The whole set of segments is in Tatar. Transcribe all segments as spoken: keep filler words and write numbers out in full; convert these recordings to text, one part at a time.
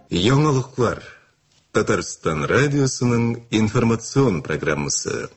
Яңалыклар. Татарстан радиосының информацион программасы.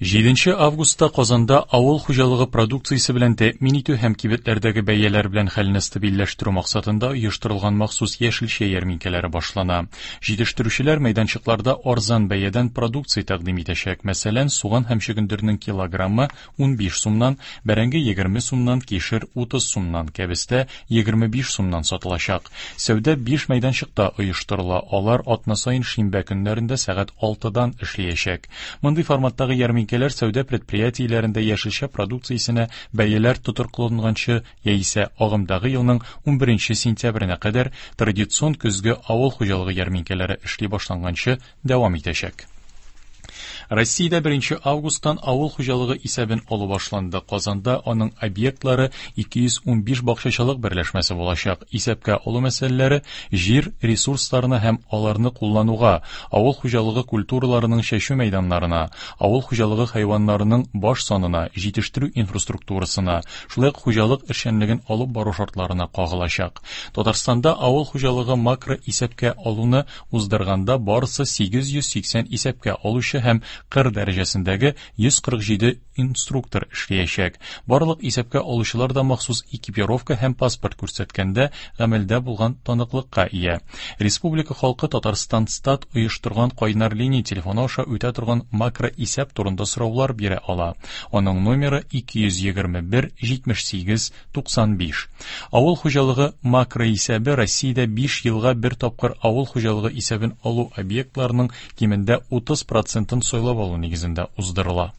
Җиденче августта Казанда авыл хуҗалыгы продукциясе белән тәэмин итү һәм кибетләрдәге бәяләр белән хәлне стабильләштерү максатында оештырылган махсус яшелчә ярминкәләре башлана. Җитештерүчеләр мәйданчыкларда арзан бәядән продукция тәкъдим итәчәк. Мәсәлән, суган һәм чөгендернең килограммы унбиш сумнан, бәрәңге егерме сумнан, кишер утыз сумнан, кәбестә егерме биш сумнан сатылачак. Сәүдә биш мәйданчыкта оештырыла. Алар атна саен шимбә көннәрендә сәгать алтыдан эшләячәк. Мондый форматтагы ярминкә Ярминкәләр сәүдә предприятиеләрендә яшелчә продукциясенә бәяләр тотрыкланганчы яисә агымдагы елның унберенче сентябренә кадәр традицион көзге авыл хуҗалыгы ярминкәләре эшли башланганчы дәвам итәчәк. Россиядә беренче августтан авыл хуҗалыгы исәбен алу башланды. Казанда аның объектлары ике йөз унбиш бакчачылык берләшмәсе булачак. Исәпкә алу мәсьәләләре җир ресурсларына һәм аларны куллануга, авыл хуҗалыгы культураларының чәчү мәйданнарына, авыл хуҗалыгы хайваннарының баш санына, җитештерү инфраструктурасына, шулай ук хуҗалык эшчәнлеген алып бару шартларына кагылачак. Татарстанда авыл хуҗалыгы макро исәпкә алуны уздырганда барысы сигез йөз сиксән исәпкә алучы һәм кыр дәрәҗәсендәге йөз кырык җиде инструктор эшләячәк. Барлык исәпкә алучылар да махсус экипировка һәм паспорт күрсәткәндә гамәлдә булган таныклыкка ия. Республика халкы Татарстан стат оештырган кайнар линия телефоны аша үтә торган макро исәп турында сораулар бирә ала. Аның номеры ике йөз егерме бер җитмеш сигез туксан биш. Авыл хуҗалыгы макро исәбе Россиядә биш елга бер тапкыр авыл хуҗалыгы исәбен алу объектларының кимендә утыз процентын сайлап алу нигезендә уздырыла.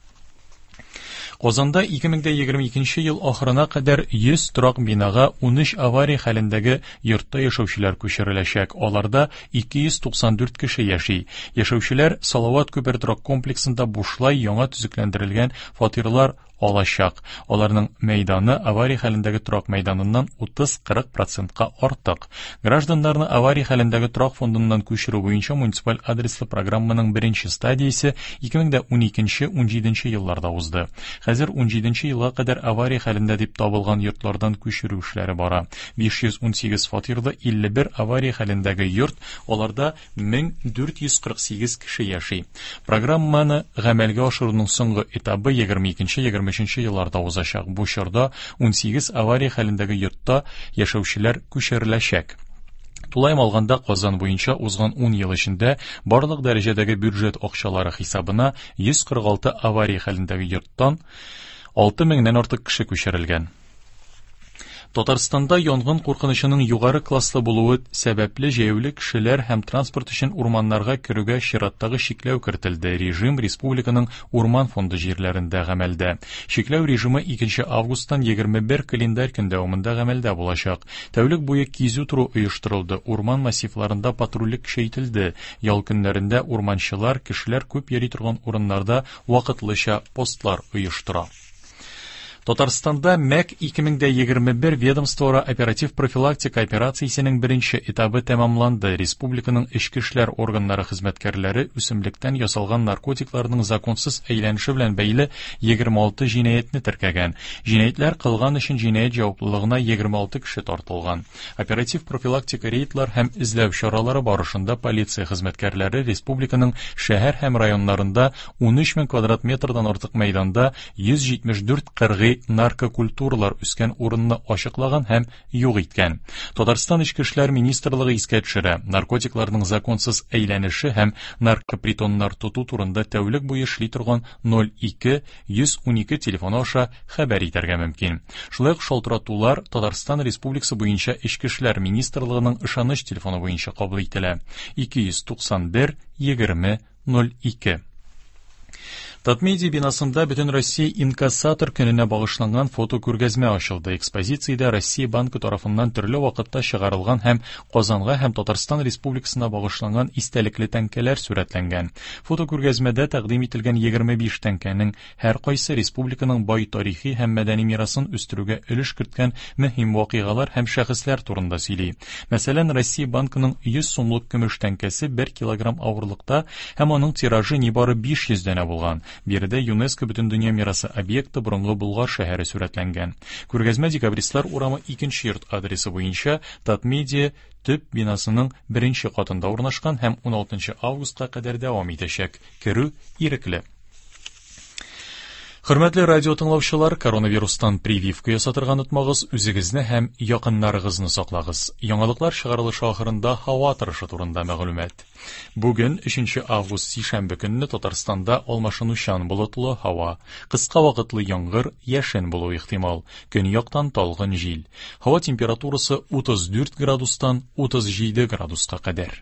Казанда ике мең дә егерме икенче ел ахырына кадәр йөз торак бинага унөч авария хәлендәге йортта яшәүчеләр күчереләчәк. Аларда ике йөз туксан дүрт кеше яши. Яшәүчеләр Салават күпер торак комплексында бушлай яңа төзекләндерелгән фатирлар алачак. Аларның мәйданы авария хәлендәге торак мәйданыннан утыз-кырык процентка артык. Гражданнарны авария хәлендәге торак фондыннан күчерү буенча муниципаль адреслы программаның беренче стадиясе ике мең дә уникенче, унҗиденче елларда узды. Хәзер унҗиденче елга кадәр авария хәлендә дип табылган йортлардан күчерү эшләре бара. Биш йөз унсигез фатирлы илле бер авария хәлендәге йорт, аларда мең дүрт йөз кырык сигез кеше яши. Программаны гамәлгә ашыруның соңгы этабы егерме икенче, егерме өченче елларда узачак. Бу чорда унсигез авария хәлендәге йортта яшәүчеләр күчереләчәк. Тулаем алганда Казан буенча узган ун ел эчендә барлык дәрәҗәдәге бюджет акчалары хисабына йөз кырык алты авария хәлендәге йорттан алты меңнән артык кеше күчерелгән. Татарстанда янгын куркынычының югары класслы булуы сәбәпле җәяүле кешеләр һәм транспорт өчен урманнарга керүгә чираттагы чикләү кертелде. Режим республиканың урман фонды җирләрендә гамәлдә. Чикләү режимы икенче августтан егерме бер календарь көн дәвамында гамәлдә булачак. Тәүлек буе кизү тору оештырылды, урман массивларында патрульлек көчәйтелде. Ял көннәрендә урманчылар, кешеләр күп йөри торган урыннарда вакытлыча постлар оештыра. Татарстанда МӘК ике мең дә егерме бер ведомствоара оператив профилактика операциясенең беренче этабы тәмамланды. Республиканың эчке эшләр органнары хезмәткәрләре үсемлектән ясалган наркотикларның законсыз әйләнеше белән бәйле егерме алты җинаятьне теркәгән. Җинаятьләр кылган өчен җинаять җаваплылыгына егерме алты кеше тартылган. Оператив профилактика рейдлар һәм эзләү чаралары барышында полиция хезмәткәрләре республиканың шәһәр һәм районнарында унөч мең квадрат метрдан артык мәйданда йөз җитмеш дүрт кыргый наркокультуралар үскән урынны ачыклаган һәм юк иткән. Татарстан Эчке эшләр министрлыгы искә төшерә, наркотикларның законсыз әйләнеше һәм наркопритоннар тоту турында тәүлек буе эшли торган ноль ике йөз унике телефоны аша хәбәр итәргә мөмкин. Шулай ук шалтыратулар Татарстан Республикасы буенча Эчке эшләр министрлыгының ышаныч телефоны буенча кабул ителә. Ике йөз туксан бер егерме ноль ике. Татмедиа бинасында Бөтен Россия инкассатор көненә багышланган фотокүргәзмә ачылды. Экспозициядә Россия банкы тарафыннан төрле вакытта чыгарылган һәм Казанга һәм Татарстан Республикасына багышланган истәлекле тәңкәләр сурәтләнгән. Фотокүргәзмәдә тәкъдим ителгән егерме биш тәңкәнең һәр кайсы республиканың бай тарихи һәм мәдәни мирасын үстерүгә өлеш керткән мөһим вакыйгалар һәм шәхесләр турында сөйли. Мәсәлән, Россия банкының йөз сумлык көмеш тәңкәсе бер килограмм авырлыкта һәм аның тиражы нибары биш йөз данә булган. Биредә ЮНЕСКО Бөтендөнья мирасы объекты борынгы Болгар шәһәре сурәтләнгән. Күргәзмә Декабристлар урамы икенче йорт адресы буенча Татмедиа төп бинасының беренче катында урнашкан һәм уналтынчы августка кадәр дәвам итәчәк. Керү ирекле. Хөрмәтле радио тыңлаучылар, коронавирустан прививка ясатырга онытмагыз, үзегезне һәм якыннарыгызны саклагыз. Яңалыклар чыгарылышы ахырында һава торышы турында мәгълүмат. Бүген өченче август сишәмбе көнне Татарстанда алмашынучан болытлы һава, кыска вакытлы яңгыр, яшен булуы ихтимал. Көньяктан талгын җил. Һава температурасы утыз дүрт градустан утыз җиде градуска кадәр.